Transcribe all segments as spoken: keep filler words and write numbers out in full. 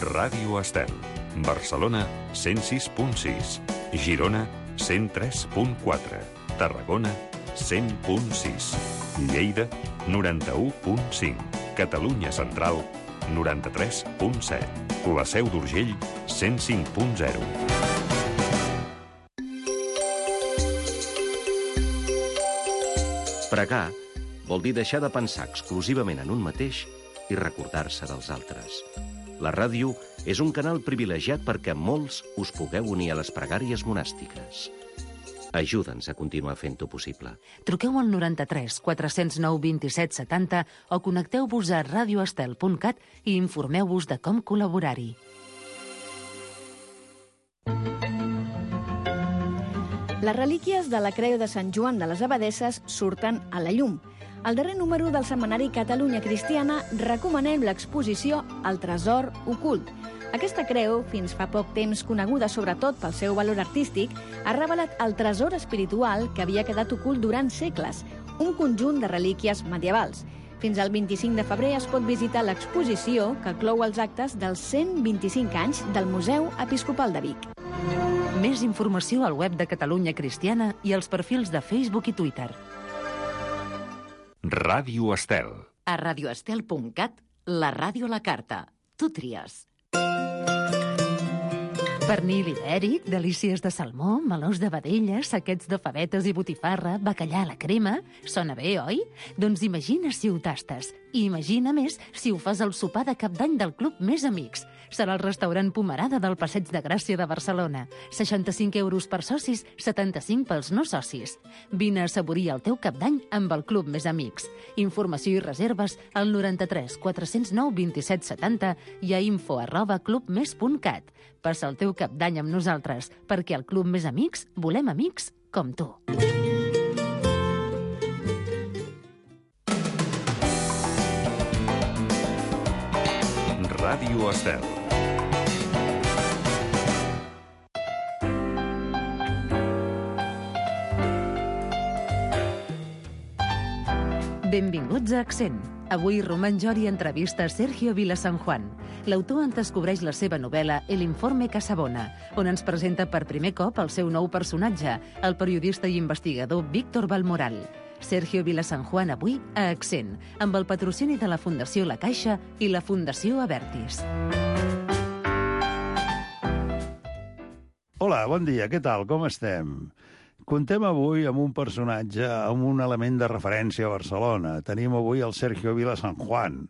Ràdio Estel. Barcelona, cent sis punt sis. Girona, cent tres punt quatre. Tarragona, cent punt sis. Lleida, noranta-u punt cinc. Catalunya Central, noranta-tres punt set. La Seu d'Urgell, cent cinc punt zero. Pregar vol dir deixar de pensar exclusivament en un mateix i recordar-se dels altres. La ràdio és un canal privilegiat perquè molts us pugueu unir a les pregàries monàstiques. Ajuda'ns a continuar fent-ho possible. Truqueu al noranta-tres quatre zero nou dos set set zero o connecteu-vos a radioestel punt cat i informeu-vos de com col·laborar-hi. Les relíquies de la Creu de Sant Joan de les Abadesses surten a la llum. Al darrer número del setmanari Catalunya Cristiana recomanem l'exposició El tresor ocult. Aquesta creu, fins fa poc temps coneguda sobretot pel seu valor artístic, ha revelat el tresor espiritual que havia quedat ocult durant segles, un conjunt de relíquies medievals. Fins al vint-i-cinc de febrer es pot visitar l'exposició que clou els actes dels cent vint-i-cinc anys del Museu Episcopal de Vic. Més informació al web de Catalunya Cristiana i als perfils de Facebook i Twitter. Ràdio Estel. A radioestel punt cat, la ràdio a la carta. Tu tries. Pernil ibèric, delícies de salmó, melons de vedella, saquets de favetes i botifarra, bacallà a la crema... Sona bé, oi? Doncs imagina si ho tastes. I imagina més si ho fas al sopar de cap d'any del Club Més Amics. Serà el restaurant Pomerada del Passeig de Gràcia de Barcelona. seixanta-cinc euros per socis, setanta-cinc pels no socis. Vine a assaborir el teu cap d'any amb el Club Més Amics. Informació i reserves al noranta-tres quatre zero nou dos set set zero i a info arroba clubmes punt cat. Passa el teu cap d'any amb nosaltres, perquè al Club Més Amics volem amics com tu. Ràdio Estel. Benvinguts a Accent. Avui Román Jori entrevista Sergio Vilasanjuan. L'autor ens descobreix la seva novel·la El informe Casabona, on ens presenta per primer cop el seu nou personatge, el periodista i investigador Víctor Balmoral. Sergio Vilasanjuan avui a Accent, amb el patrocini de la Fundació La Caixa i la Fundació Abertis. Hola, bon dia, què tal, com estem? Contem avui amb un personatge, amb un element de referència a Barcelona. Tenim avui el Sergio Vilasanjuan.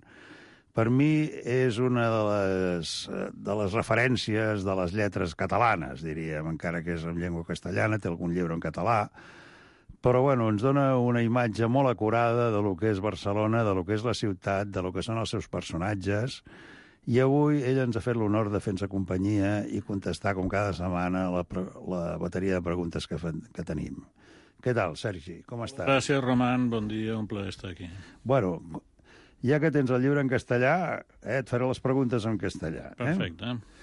Per mi és una de les, de les referències de les lletres catalanes, diríem, encara que és en llengua castellana, té algun llibre en català, però bueno, ens dona una imatge molt acurada de lo que és Barcelona, de lo que és la ciutat, de lo que són els seus personatges, i avui ell ens ha fet l'honor de fer-nos companyia i contestar, com cada setmana, la, la bateria de preguntes que, que tenim. Què tal, Sergi? Com estàs? Gràcies, Román. Bon dia, un plaer estar aquí. Bueno, ja que tens el llibre en castellà, eh, et faré les preguntes en castellà. Perfecte. Eh?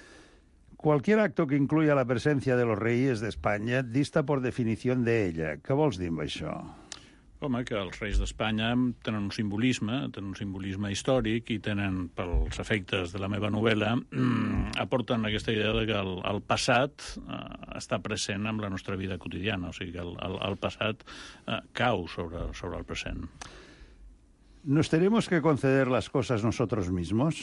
Cualquier acto que incluya la presencia de los reyes de España dista por definición de ella. Què vols dir amb això? Home, que els reis d'Espanya tenen un simbolisme, tenen un simbolisme històric i tenen, pels efectes de la meva novel·la, aporten aquesta idea de que el, el passat eh, està present en la nostra vida quotidiana, o sigui que el, el, el passat eh, cau sobre, sobre el present. ¿Nos tenemos que conceder las cosas nosotros mismos?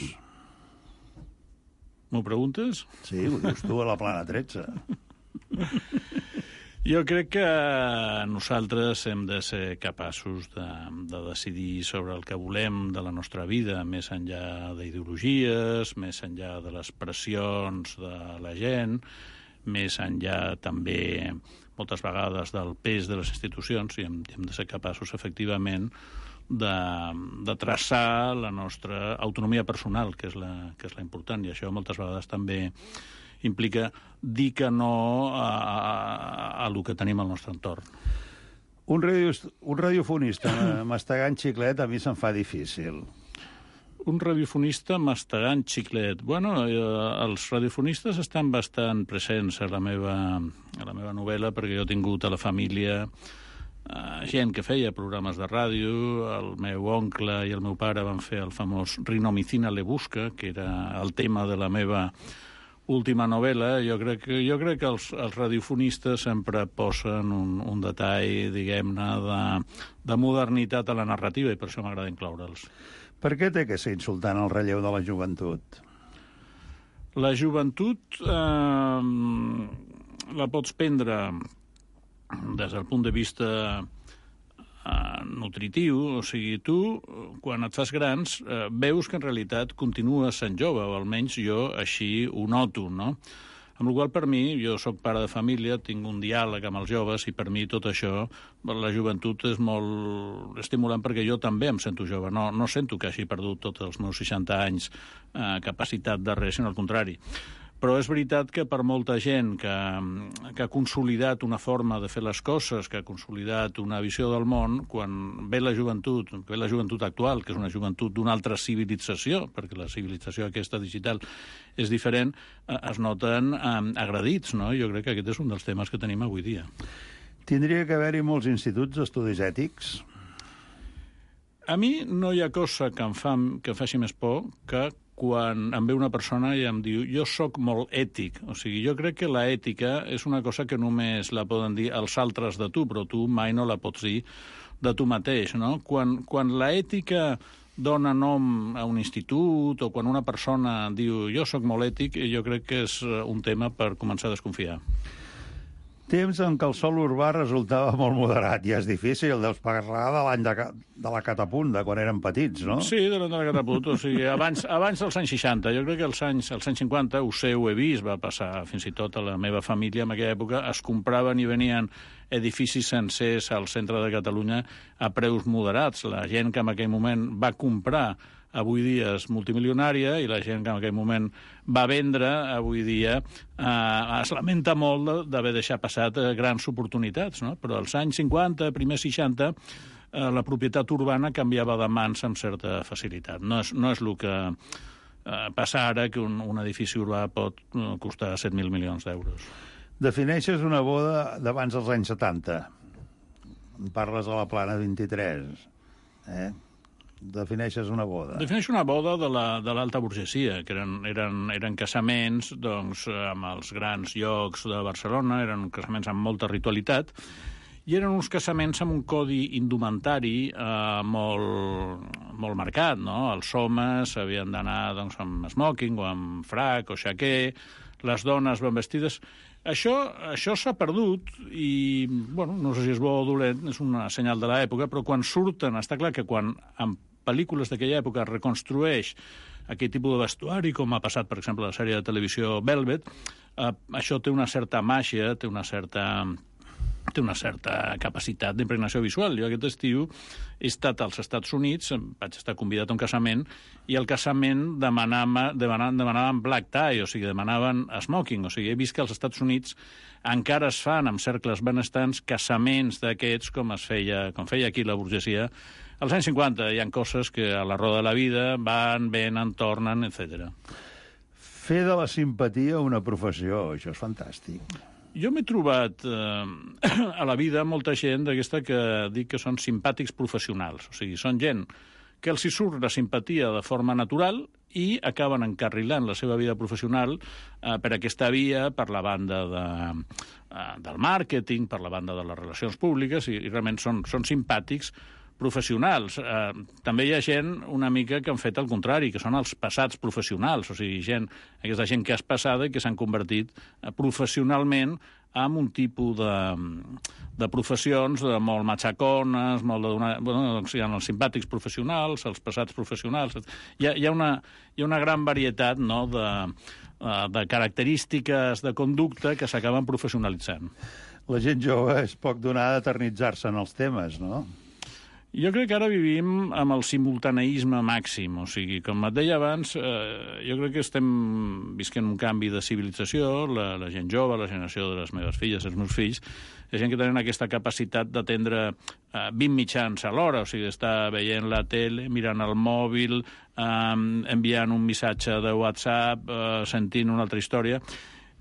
M'ho preguntes? Sí, ho dius tu a la plana tretze. Jo crec que nosaltres hem de ser capaços de, de decidir sobre el que volem de la nostra vida, més enllà d'ideologies, més enllà de les pressions de la gent, més enllà també, moltes vegades, del pes de les institucions, i hem, hem de ser capaços, efectivament, de, de traçar la nostra autonomia personal, que és la, que és la important, i això moltes vegades també implica dir que no a, a, a lo que tenim al nostre entorn. Un, radio, un radiofonista mastegant xiclet a mi se'm fa difícil. Un radiofonista mastegant xiclet. Bueno, eh, els radiofonistes estan bastant presents a la meva, a la meva novel·la, perquè jo he tingut a la família uh, gent que feia programes de ràdio. El meu oncle i el meu pare van fer el famós Rinomicina le busca, que era el tema de la meva última novel·la. Jo crec que, jo crec que els, els radiofonistes sempre posen un, un detall, diguem-ne, de, de modernitat a la narrativa, i per això m'agrada incloure'ls. Per què té que ser insultant el relleu de la joventut? La joventut eh, la pots prendre des del punt de vista Uh, nutritiu, o sigui, tu, quan et fas grans, uh, veus que en realitat continues sent jove, o almenys jo així ho noto, no? Amb la qual cosa, per mi, jo sóc pare de família, tinc un diàleg amb els joves, i per mi tot això, la joventut és molt estimulant, perquè jo també em sento jove, no, no sento que hagi perdut tots els meus seixanta anys uh, capacitat de res, sinó al contrari. Però és veritat que per molta gent que, que ha consolidat una forma de fer les coses, que ha consolidat una visió del món, quan ve la joventut, ve la joventut actual, que és una joventut d'una altra civilització, perquè la civilització aquesta digital és diferent, es noten eh, agredits, no? Jo crec que aquest és un dels temes que tenim avui dia. Tindria que haver-hi molts instituts d'estudis ètics? A mi no hi ha cosa que em, fa, que em faci més por que quan em ve una persona i em diu jo sóc molt ètic. O sigui, jo crec que la ètica és una cosa que només la poden dir els altres de tu, però tu mai no la pots dir de tu mateix, no? Quan, quan la ètica dona nom a un institut o quan una persona diu jo sóc molt ètic, jo crec que és un tema per començar a desconfiar. Temps en què el sol urbà resultava molt moderat, i és difícil, deus parlar de l'any de, de la catapunt, de quan érem petits, no? Sí, de l'any de la catapunt, o sigui, abans, abans dels anys seixanta. Jo crec que als anys, als anys cinquanta, ho sé, ho he vist, va passar fins i tot a la meva família en aquella època, es compraven i venien edificis sencers al centre de Catalunya a preus moderats. La gent que en aquell moment va comprar avui dia és multimilionària, i la gent que en aquell moment va vendre avui dia eh, es lamenta molt d'haver deixat passat eh, grans oportunitats, no? Però als anys cinquanta, primers seixanta, eh, la propietat urbana canviava de mans amb certa facilitat. No és, no és el que eh, passa ara, que un, un edifici urbà pot eh, costar set mil milions d'euros. Defineixes una boda d'abans dels anys setanta. En parles a la Plana vint-i-tres, eh? Defineixes una boda. Defineixo una boda de la, de l'alta burgesia, que eren, eren, eren casaments doncs, amb els grans llocs de Barcelona, eren casaments amb molta ritualitat, i eren uns casaments amb un codi indumentari eh, molt, molt marcat, no? Els homes havien d'anar doncs, amb smoking o amb frac o xaquer, les dones ben vestides. Això, això s'ha perdut i, bueno, no sé si és bo o dolent, és una senyal de l'època, però quan surten, està clar que quan en pel·lícules d'aquella època es reconstrueix aquest tipus de vestuari, com ha passat, per exemple, a la sèrie de televisió Velvet, eh, això té una certa màgia, té una certa... té una certa capacitat d'impregnació visual. Jo aquest estiu he estat als Estats Units, vaig estar convidat a un casament, i al casament demanaven, demanaven, demanaven black tie, o sigui, demanaven smoking. O sigui, he vist que als Estats Units encara es fan, amb cercles benestants, casaments d'aquests, com es feia, com feia aquí la burgesia. Als anys cinquanta hi ha coses que a la roda de la vida van, venen, tornen, etcètera. Fer de la simpatia una professió, això és fantàstic. Jo m'he trobat eh, a la vida molta gent d'aquesta que dic que són simpàtics professionals. O sigui, són gent que els hi surt la simpatia de forma natural i acaben encarrilant la seva vida professional eh, per aquesta via, per la banda de, eh, del màrqueting, per la banda de les relacions públiques, i, i realment són, són simpàtics professionals. Eh, també hi ha gent una mica que han fet el contrari, que són els passats professionals, o sigui, gent, aquesta gent que és passada i que s'han convertit eh, professionalment en un tipus de, de professions de molt matxacones, molt de donar... Bueno, doncs hi ha els simpàtics professionals, els passats professionals... Hi ha, hi ha, una, hi ha una gran varietat, no?, de, de característiques de conducta que s'acaben professionalitzant. La gent jove és poc donada a eternitzar-se en els temes, no? Jo crec que ara vivim amb el simultaneisme màxim, o sigui, com et deia abans, eh, jo crec que estem visquent un canvi de civilització, la, la gent jove, la generació de les meves filles, els meus fills, la gent que tenen aquesta capacitat d'atendre eh, vint mitjans a l'hora, o sigui, d'estar veient la tele, mirant el mòbil, eh, enviant un missatge de WhatsApp, eh, sentint una altra història,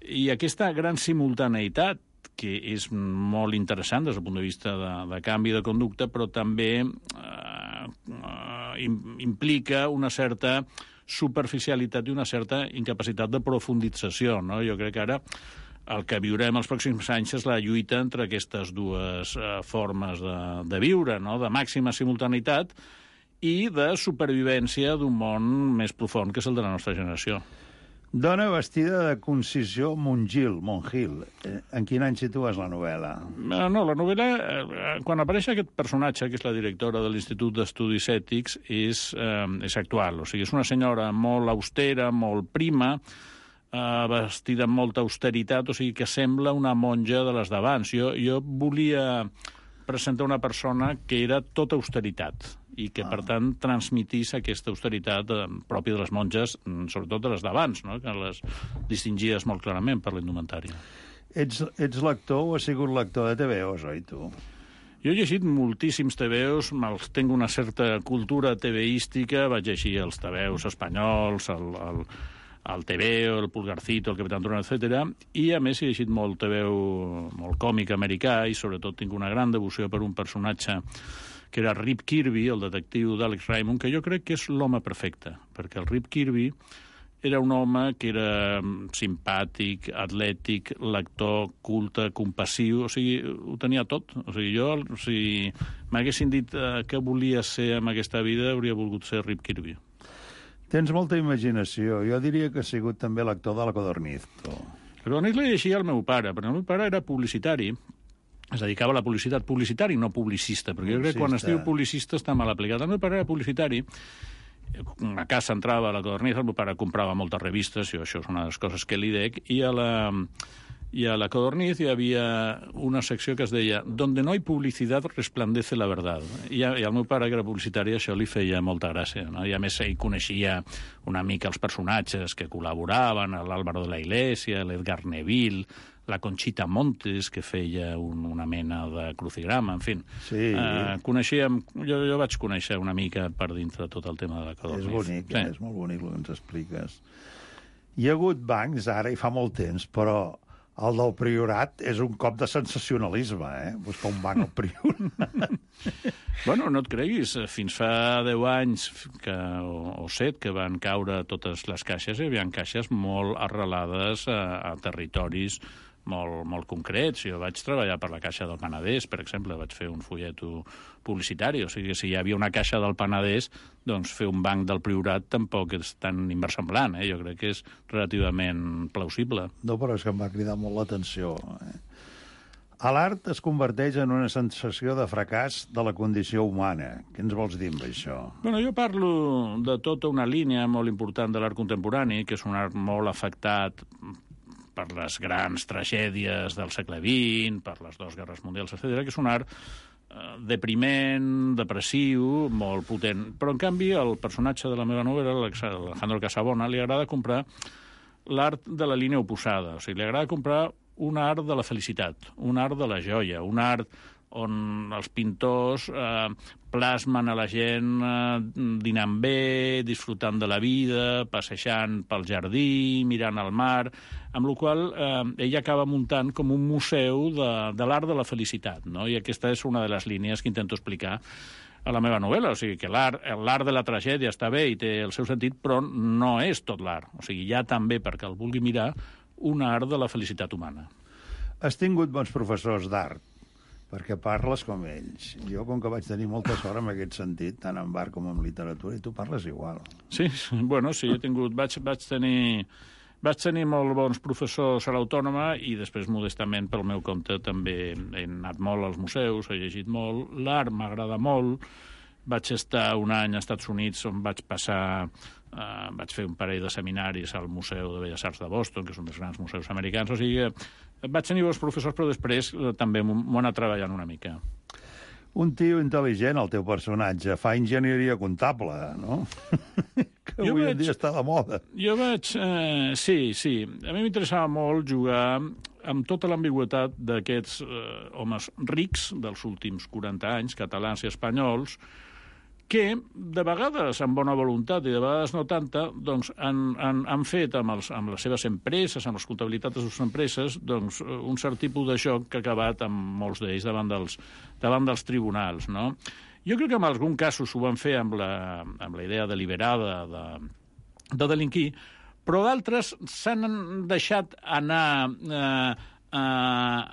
i aquesta gran simultaneïtat que és molt interessant des del punt de vista de, de canvi de conducta, però també eh, eh, implica una certa superficialitat i una certa incapacitat de profundització, no? Jo crec que ara el que viurem els pròxims anys és la lluita entre aquestes dues eh, formes de, de viure, no? De màxima simultaneïtat i de supervivència d'un món més profund que és el de la nostra generació. Dona vestida de Concisió Montgil, Montgil. Eh, en quin any situes la novel·la? No, la novel·la, eh, quan apareix aquest personatge, que és la directora de l'Institut d'Estudis Ètics, és, eh, és actual. O sigui, és una senyora molt austera, molt prima, eh, vestida amb molta austeritat, o sigui, que sembla una monja de les d'abans. Jo, jo volia presentar una persona que era tota austeritat i que, ah. per tant, transmitís aquesta austeritat eh, pròpia de les monges, sobretot de les d'abans, no? Que les distingies molt clarament per l'indumentària. Ets, ets lector o has sigut lector de T V Os, oi, tu? Jo he llegit moltíssims T V Os, tinc una certa cultura TVística, vaig llegir els T V Os espanyols, el, el, el T V O, el Pulgarcito, el Capitán Trueno, etcètera. I, a més, he llegit molt T V O, molt còmic americà, i sobretot tinc una gran devoció per un personatge que era Rip Kirby, el detectiu d'Alex Raymond, que jo crec que és l'home perfecte, perquè el Rip Kirby era un home que era simpàtic, atlètic, lector, culte, compassiu, o sigui, ho tenia tot. O sigui, jo, si m'haguessin dit eh, què volia ser en aquesta vida, hauria volgut ser Rip Kirby. Tens molta imaginació. Jo diria que has sigut també l'actor de la Codorniz. La Codorniz la llegia el meu pare, perquè el meu pare era publicitari, es dedicava a la publicitat, publicitari, no publicista, perquè jo crec que quan es diu publicista està mal aplicat. El meu pare era publicitari, una casa entrava a la Codorniz, el meu pare comprava moltes revistes, i això és una de les coses que li dec, i a la, i a la Codorniz hi havia una secció que es deia «Donde no hay publicidad resplandece la verdad». I, a, i al meu pare, que era publicitari, això li feia molta gràcia, no? I a més ell coneixia una mica els personatges que col·laboraven, l'Álvaro de la Iglesia, l'Edgar Neville, la Conchita Montes, que feia un, una mena de crucigrama, en fi. Sí. Uh, coneixíem, jo, jo vaig conèixer una mica per dintre tot el tema de la Codorniz. És bonic, sí. eh? És molt bonic el que ens expliques. Hi ha hagut bancs, ara, i fa molt temps, però el del Priorat és un cop de sensacionalisme, eh? Buscar un banc al Priorat. Bueno, no et creguis, fins fa deu anys que, o, o set que van caure totes les caixes, hi havia caixes molt arrelades a, a territoris molt, molt concrets. Jo vaig treballar per la Caixa del Penedès, per exemple, vaig fer un folleto publicitari, o sigui, si hi havia una caixa del Penedès, doncs fer un banc del Priorat tampoc és tan inversemblant, eh? Jo crec que és relativament plausible. No, però és que em va cridar molt l'atenció. Eh? L'art es converteix en una sensació de fracàs de la condició humana. Què ens vols dir amb això? Bueno, jo parlo de tota una línia molt important de l'art contemporani, que és un art molt afectat per les grans tragèdies del segle vint, per les dues guerres mundials, etcètera, que és un art eh, depriment, depressiu, molt potent. Però, en canvi, el personatge de la meva novel·la, l'Alejandro Casabona, li agrada comprar l'art de la línia oposada. O sigui, li agrada comprar un art de la felicitat, un art de la joia, un art on els pintors eh, plasmen a la gent eh, dinant bé, disfrutant de la vida, passejant pel jardí, mirant al mar, amb la qual eh, ell acaba muntant com un museu de, de l'art de la felicitat, no? I aquesta és una de les línies que intento explicar a la meva novel·la, o sigui que l'art l'art de la tragèdia està bé i té el seu sentit, però no és tot l'art. O sigui, hi ha també, perquè el vulgui mirar, un art de la felicitat humana. Has tingut bons professors d'art, perquè parles com ells. Jo, com que vaig tenir molta sort en aquest sentit, tant en art com en literatura, i tu parles igual. Sí, bueno, sí, he tingut... Vaig, vaig tenir... Vaig tenir molt bons professors a l'Autònoma i després, modestament, pel meu compte, també he anat molt als museus, he llegit molt. L'art m'agrada molt. Vaig estar un any als Estats Units on vaig passar... Uh, vaig fer un parell de seminaris al Museu de Belles Arts de Boston, que és un dels grans museus americans. O sigui, vaig tenir bons professors, però després uh, també m'ho he anat treballant una mica. Un tio intel·ligent, el teu personatge, fa enginyeria comptable, no? Que jo avui vaig, en dia està de moda. Jo vaig... Eh, sí, sí. A mi m'interessava molt jugar amb tota l'ambigüitat d'aquests eh, homes rics dels últims quaranta anys, catalans i espanyols, que de vegades amb bona voluntat i de vegades no tanta, doncs han, han, han fet amb, els, amb les seves empreses, amb les comptabilitats de les seves empreses, doncs un cert tipus de joc que ha acabat amb molts d'ells davant dels, davant dels tribunals, no? Jo crec que en algun casos ho van fer amb la, amb la idea deliberada de, de delinquir, però d'altres s'han deixat anar eh, eh,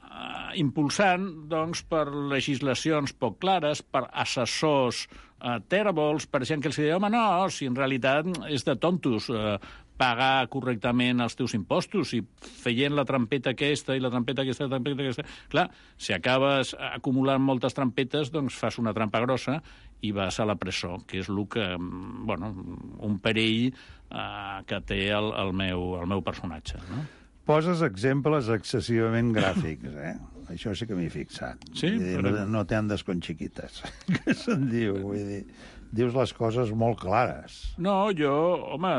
impulsant doncs, per legislacions poc clares, per assessors Uh, tèrbols, per gent que els deia, home, no, si en realitat és de tontos uh, pagar correctament els teus impostos i feient la trampeta aquesta i la trampeta aquesta, la trampeta aquesta... Clar, si acabes acumulant moltes trampetes, doncs fas una trampa grossa i vas a la presó, que és el que, bueno, un perill uh, que té el, el, meu, el meu personatge, no? Poses exemples excessivament gràfics, eh? Això sí que m'hi he fixat. Sí? Dir, no, no te andes con chiquitas, que se'n diu. Vull dir, dius les coses molt clares. No, jo, home,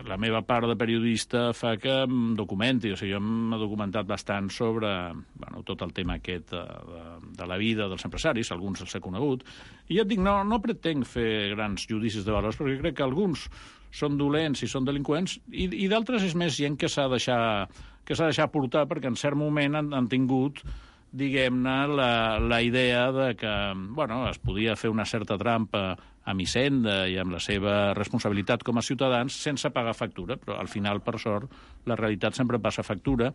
la meva part de periodista fa que em documenti. O sigui, jo m'he documentat bastant sobre bueno, tot el tema aquest de, de, de la vida dels empresaris, alguns els he conegut, i ja et dic, no, no pretenc fer grans judicis de valors, perquè crec que alguns són dolents i són delinqüents, i, i d'altres és més gent que s'ha de deixar, que s'ha de deixar portar, perquè en cert moment han, han tingut, diguem-ne, la, la idea de que bueno, es podia fer una certa trampa amb Hisenda i amb la seva responsabilitat com a ciutadans sense pagar factura, però al final, per sort, la realitat sempre passa factura,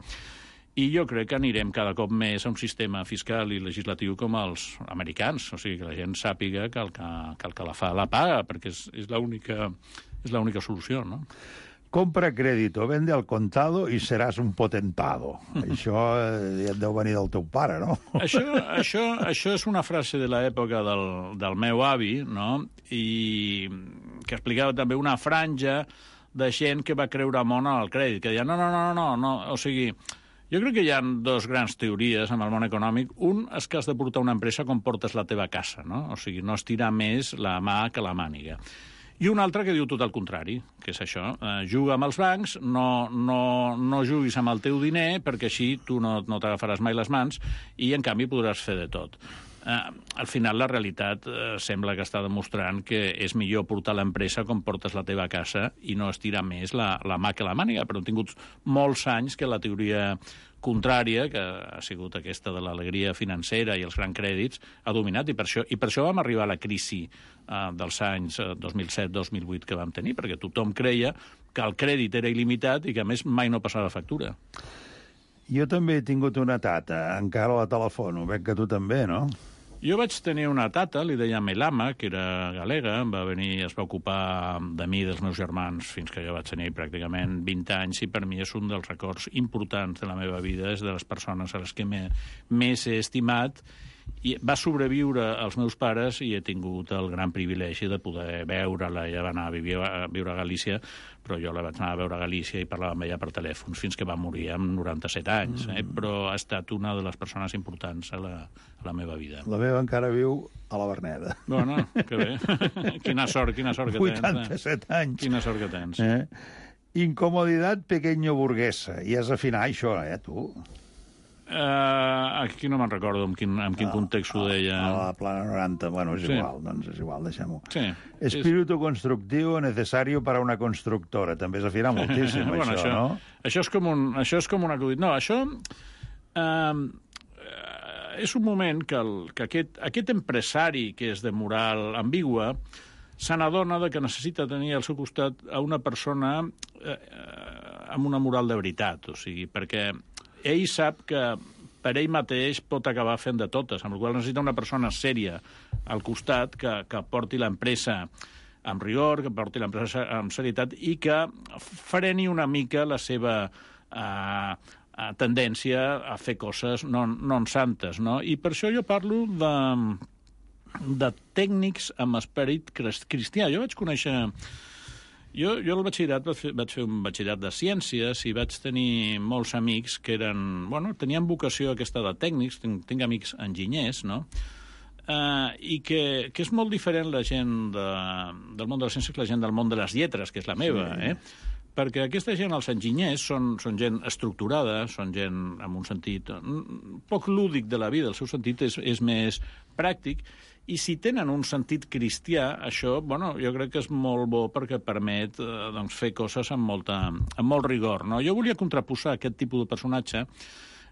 i jo crec que anirem cada cop més a un sistema fiscal i legislatiu com els americans, o sigui, que la gent sàpiga que el que, que, el que la fa la paga, perquè és, és l'única és l'única solució, no? Compra crédito, vende al contado i seràs un potentado. Això eh, ja et deu venir del teu pare, no? Això, això, això és una frase de l'època del, del meu avi, no? I que explicava també una franja de gent que va creure molt en el crèdit, que deia, no, no, no, no, no, o sigui, jo crec que hi ha dos grans teories amb el món econòmic. Un és que has de portar una empresa com portes la teva casa, no? O sigui, no estirar més la mà que la màniga. I un altre que diu tot el contrari, que és això. Eh, juga amb els bancs, no, no, no juguis amb el teu diner, perquè així tu no, no t'agafaràs mai les mans i, en canvi, podràs fer de tot. Eh, al final, la realitat eh, sembla que està demostrant que és millor portar l'empresa com portes la teva casa i no estirar més la, la mà que la màniga, però han tingut molts anys que la teoria contrària, que ha sigut aquesta de l'alegria financera i els grans crèdits, ha dominat, i per això, i per això vam arribar a la crisi eh, dels anys eh, dos mil set dos mil vuit que vam tenir, perquè tothom creia que el crèdit era il·limitat i que, a més, mai no passava factura. Jo també he tingut una tata, encara la telefono, veig que tu també, no? Jo vaig tenir una tata, li deia Melama, que era galega, va venir, es va ocupar de mi i dels meus germans fins que jo vaig tenir pràcticament vint anys, i per mi és un dels records importants de la meva vida, és de les persones a les que més he estimat. I va sobreviure als meus pares i he tingut el gran privilegi de poder veure-la. Ella va anar a viure, a viure a Galícia, però jo la vaig anar a veure a Galícia i parlava amb ella per telèfon fins que va morir amb noranta-set anys. Eh? Però ha estat una de les persones importants a la, a la meva vida. La meva encara viu a la Verneda. Bueno, que bé. Quina sort, quina sort que tens. vuitanta-set eh? anys. Quina sort que tens. Eh? Incomoditat pequeño burguesa. I has d'afinar això, eh, tu? Uh, aquí no me'n recordo en quin, en quin no, context ho deia. A la plana noranta, bueno, és sí. igual, doncs és igual, deixem-ho. Sí. Espíritu és... constructivo necesario para una constructora. També és afinar moltíssim, bueno, això, això, no? Això és com un, això és com un acudit. No, això uh, és un moment que, el, que aquest, aquest empresari que és de moral ambigua se n'adona que necessita tenir al seu costat a una persona eh, amb una moral de veritat, o sigui, perquè ell sap que per ell mateix pot acabar fent de totes, amb la qual necessita una persona sèria al costat que, que porti l'empresa amb rigor, que porti l'empresa amb serietat i que freni una mica la seva eh, tendència a fer coses non, non santes, no? I per això jo parlo de, de tècnics amb esperit cristià. Jo vaig conèixer... Jo, jo al batxillerat vaig fer, vaig fer un batxillerat de ciències i vaig tenir molts amics que eren... Bueno, tenien vocació aquesta de tècnics, tinc, tinc amics enginyers, no? Uh, I que, que és molt diferent la gent de, del món de les ciències que la gent del món de les lletres, que és la meva, sí. eh? perquè aquesta gent, els enginyers, són, són gent estructurada, són gent amb un sentit poc lúdic de la vida, el seu sentit és, és més pràctic, i si tenen un sentit cristià, això, bueno, jo crec que és molt bo perquè permet eh, doncs, fer coses amb, molta, amb molt rigor. No? Jo volia contraposar aquest tipus de personatge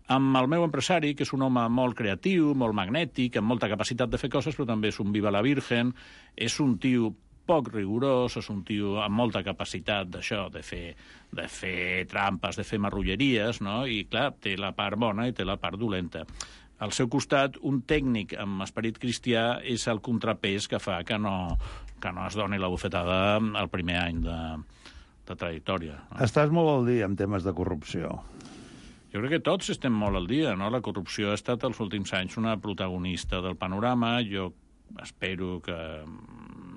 amb el meu empresari, que és un home molt creatiu, molt magnètic, amb molta capacitat de fer coses, però també és un viva la virgen, és un tio poc rigorós, és un tio amb molta capacitat d'això, de fer, de fer trampes, de fer marrulleries, no? I, clar, té la part bona i té la part dolenta. Al seu costat, un tècnic amb esperit cristià és el contrapès que fa que no, que no es doni la bufetada al primer any de, de trajectòria. No? Estàs molt al dia en temes de corrupció. Jo crec que tots estem molt al dia, no? La corrupció ha estat els últims anys una protagonista del panorama. Jo espero que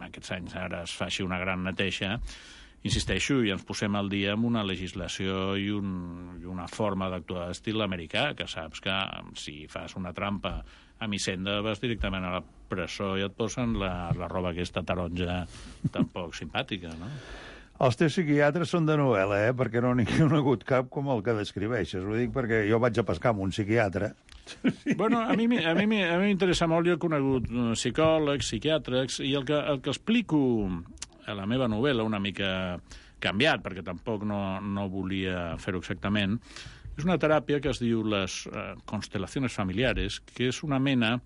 aquests anys ara es faci una gran neteja. Insisteixo, i ens posem al dia amb una legislació i, un, i una forma d'actuar d'estil americà, que saps que si fas una trampa a Hisenda vas directament a la presó i et posen la, la roba aquesta taronja tan poc simpàtica, no? Els teus psiquiatres són de novel·la, eh? Perquè no n'hi ha hagut cap com el que descriveixes. Ho dic perquè jo vaig a pescar amb un psiquiatre. Bueno, a mi, a mi, a mi m'interessa molt, jo he conegut psicòlegs, psiquiàtrics, i el que, el que explico a la meva novel·la, una mica canviat, perquè tampoc no, no volia fer-ho exactament, és una teràpia que es diu les uh, constelaciones familiares, que és una mena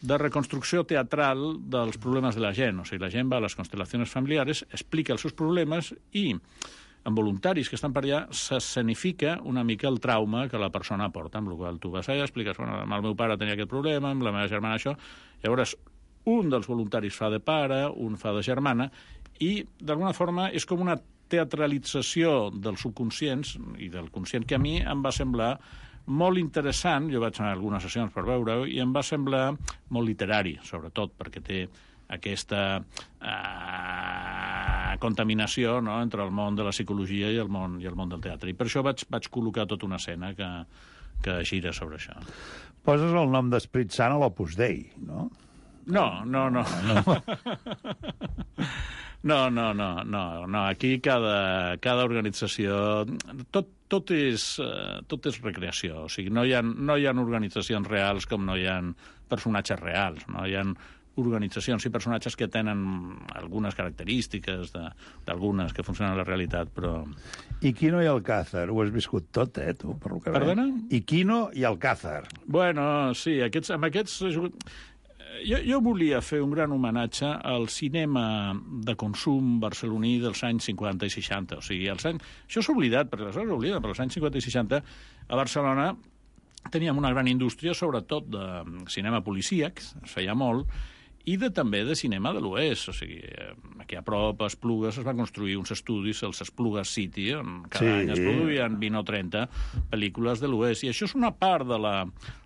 de reconstrucció teatral dels problemes de la gent. O sigui, la gent va a les constel·lacions familiares, explica els seus problemes i, amb voluntaris que estan per allà, s'escenifica una mica el trauma que la persona porta, amb el qual tu vas allà, expliques, bueno, amb el meu pare tenia aquest problema, amb la meva germana això, llavors un dels voluntaris fa de pare, un fa de germana, i d'alguna forma és com una teatralització dels subconscients i del conscient que a mi em va semblar molt interessant. Jo vaig anar a algunes sessions per veure-ho i em va semblar molt literari, sobretot, perquè té aquesta eh, contaminació, no?, entre el món de la psicologia i el món, i el món del teatre. I per això vaig, vaig col·locar tota una escena que, que gira sobre això. Poses el nom d'Esperit Sant a l'Opus Dei, no? No, no, no. No. No, no, no, no, no. Aquí cada, cada organització... Tot, tot, és, tot és recreació. O sigui, no hi ha, no hi ha organitzacions reals com no hi ha personatges reals. No? Hi ha organitzacions i personatges que tenen algunes característiques d'algunes que funcionen a la realitat, però... I Quino i Alcázar, ho has viscut tot, eh, tu, per lo que Perdona? I Quino i Alcázar. Bueno, sí, aquests, amb aquests... Jo, jo volia fer un gran homenatge al cinema de consum barceloní dels anys cinquanta i seixanta. O sigui, els anys... Això s'ha oblidat, perquè aleshores s'oblida, però als anys cinquanta i seixanta a Barcelona teníem una gran indústria, sobretot de cinema policíac, es feia molt, i de, també de cinema de l'oest. O sigui, aquí a prop, a Esplugues, es van construir uns estudis, els Esplugues City, on cada sí. any es produïen vint o trenta pel·lícules de l'oest. I això és una part de la,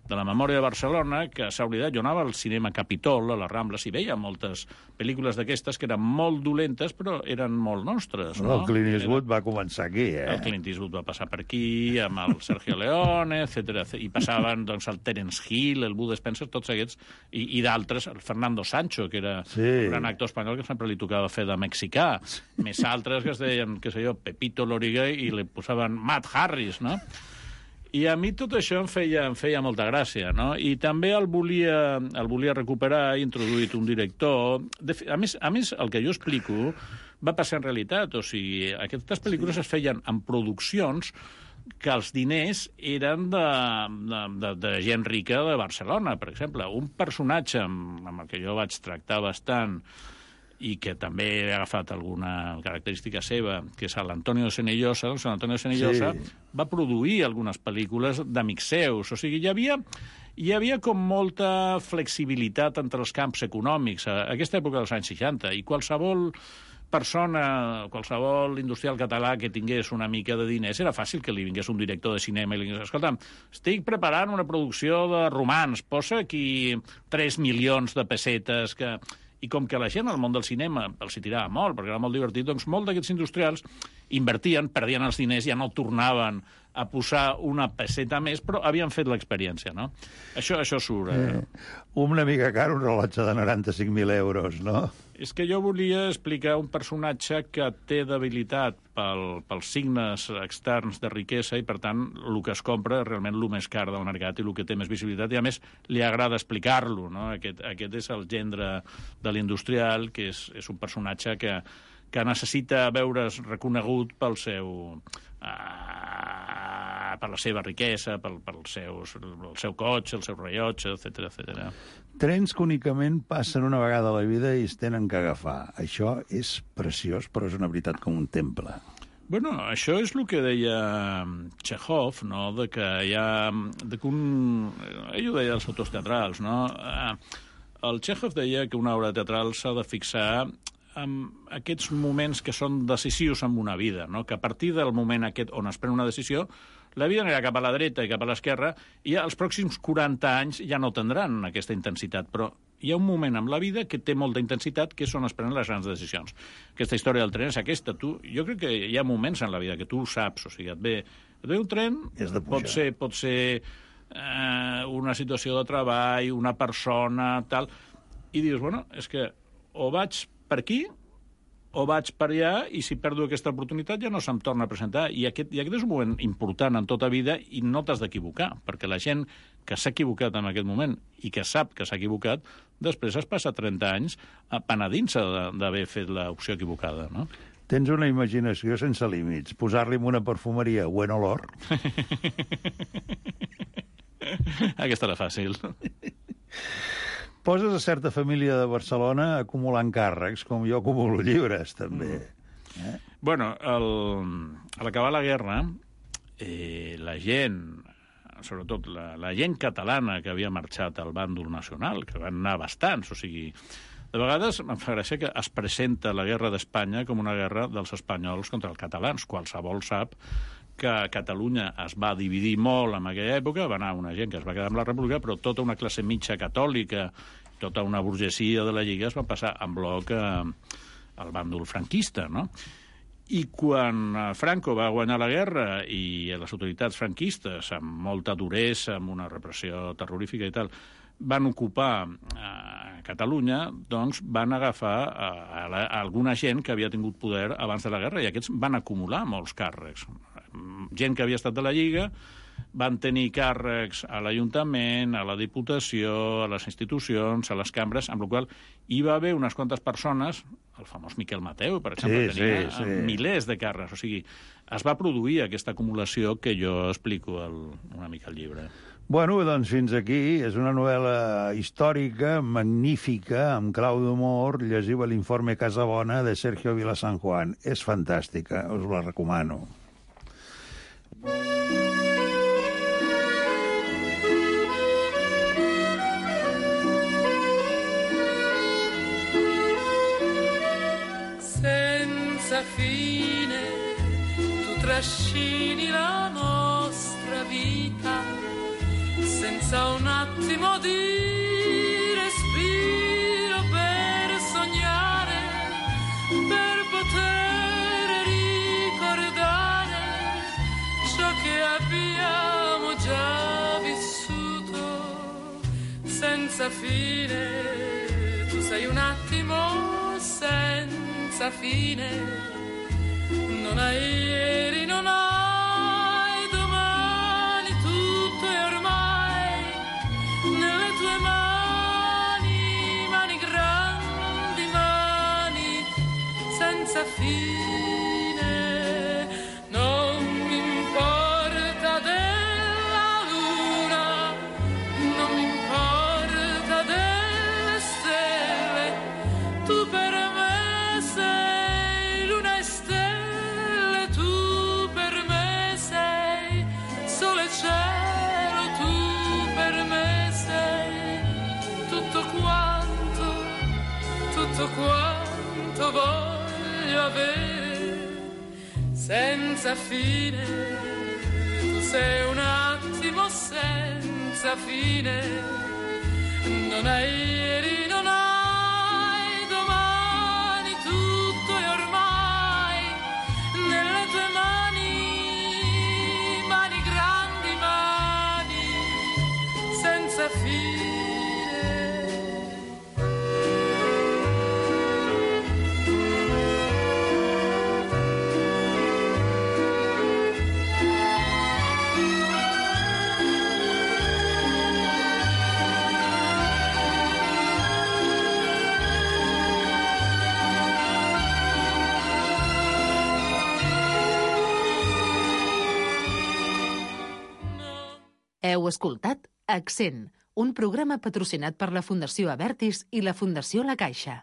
de la memòria de Barcelona que s'ha oblidat. Jo anava al cinema Capitol, a les Rambles, i veia moltes pel·lícules d'aquestes que eren molt dolentes, però eren molt nostres. No? El Clint Eastwood Era... va començar aquí, eh? El Clint Eastwood va passar per aquí, amb el Sergio Leone, etcètera. I passaven doncs, el Terence Hill, el Bud Spencer, tots aquests, i, i d'altres, el Fernando Sancho, que era sí. un gran actor espanyol que sempre li tocava fer de mexicà, més altres que es deien, què sé jo, Pepito Loriguey, i li posaven Matt Harris, no? I a mi tot això em feia, em feia molta gràcia, no? I també el volia, el volia recuperar, he introduït un director... De, a, més, a més, el que jo explico va passar en realitat, o sigui, aquestes pel·lícules sí. es feien en produccions que els diners eren de, de, de, de gent rica de Barcelona, per exemple. Un personatge amb, amb el que jo vaig tractar bastant i que també he agafat alguna característica seva, que és l'Antonio de Senillosa. Doncs l'Antonio de Senillosa sí. va produir algunes pel·lícules d'amics seus. O sigui, hi havia, hi havia com molta flexibilitat entre els camps econòmics a aquesta època dels anys seixanta, i qualsevol persona, qualsevol industrial català que tingués una mica de diners, era fàcil que li vingués un director de cinema i li digués, escolta, estic preparant una producció de romans, posa aquí tres milions de pessetes que... I com que la gent al món del cinema els hi tirava molt, perquè era molt divertit, doncs molt d'aquests industrials invertien, perdien els diners, ja no tornaven a posar una peseta més, però havien fet l'experiència, no? Això, això surt... Eh? Eh, una mica car, un rellotge de noranta-cinc mil euros, no? És que jo volia explicar un personatge que té debilitat pel, pels signes externs de riquesa i, per tant, el que es compra és realment el més car del mercat i el que té més visibilitat. I, a més, li agrada explicar-lo, no? Aquest, aquest és el gendre de l'industrial, que és, és un personatge que, que necessita veure's reconegut pel seu... Uh, per la seva riquesa, pel, pel seus, el seu cotxe, el seu rellotge, etcètera, etcètera. Trens que únicament passen una vegada a la vida i es tenen que agafar. Això és preciós, però és una veritat com un temple. Bueno, això és el que deia Chekhov, no?, de que hi ha... De que un... Ell ho deia als autors teatrals, no? El Chekhov deia que una obra teatral s'ha de fixar amb aquests moments que són decisius en una vida, no? Que a partir del moment aquest on es pren una decisió, la vida anirà cap a la dreta i cap a l'esquerra, i els pròxims quaranta anys ja no tindran aquesta intensitat, però hi ha un moment en la vida que té molta intensitat, que és on es prenen les grans decisions. Aquesta història del tren és aquesta. Tu, jo crec que hi ha moments en la vida que tu ho saps, o sigui, et ve, et ve un tren, pot ser, pot ser eh, una situació de treball, una persona, tal, i dius, bueno, és que o vaig per aquí, o vaig per allà, i si perdo aquesta oportunitat ja no se'm torna a presentar. I aquest, i aquest és un moment important en tota vida i no t'has d'equivocar, perquè la gent que s'ha equivocat en aquest moment i que sap que s'ha equivocat, després es passa trenta anys penedint-se d'haver fet l'opció equivocada, no? Tens una imaginació sense límits. Posar-li en una perfumeria buen olor. Aquesta era fàcil. Poses a certa família de Barcelona acumulant càrrecs, com jo acumulo llibres, també. Eh? Bueno, el, a l'acabar la guerra, eh, la gent, sobretot la, la gent catalana que havia marxat al bàndol nacional, que van anar bastants, o sigui, de vegades em fa gràcia que es presenta la guerra d'Espanya com una guerra dels espanyols contra els catalans. Qualsevol sap que Catalunya es va dividir molt en aquella època, va anar una gent que es va quedar amb la República, però tota una classe mitja catòlica, tota una burgesia de la Lliga es va passar en bloc eh, al bàndol franquista, no? I quan Franco va guanyar la guerra i les autoritats franquistes, amb molta duresa, amb una repressió terrorífica i tal, van ocupar eh, Catalunya, doncs van agafar eh, a, la, a alguna gent que havia tingut poder abans de la guerra, i aquests van acumular molts càrrecs. Gent que havia estat de la Lliga van tenir càrrecs a l'Ajuntament, a la Diputació, a les institucions, a les cambres, amb la qual hi va haver unes quantes persones, el famós Miquel Mateu, per exemple, sí, tenia sí, sí. milers de càrrecs. O sigui, es va produir aquesta acumulació que jo explico el, una mica al llibre. Bueno, doncs fins aquí. És una novel·la històrica, magnífica, amb clau d'humor. Llegiu l'informe Casabona de Sergio Vila San Juan. És fantàstica, us la recomano. Senza fine tu trascini la nostra vita, senza un attimo di respiro per sognare, per poter ricordare ciò che abbiamo già vissuto. Senza fine tu sei un attimo senza fine, non hai ieri, non hai domani, tutto è ormai nelle tue mani, mani grandi, mani senza fine. Non mi importa della luna, non mi importa delle stelle, tu per me sei luna e stelle, tu per me sei sole e cielo, tu per me sei tutto quanto, tutto quanto voglio avere. Senza fine, tu sei un attimo senza fine, non hai ieri, non hai domani, tutto è ormai nelle Heu escoltat Accent, un programa patrocinat per la Fundació Abertis i la Fundació La Caixa.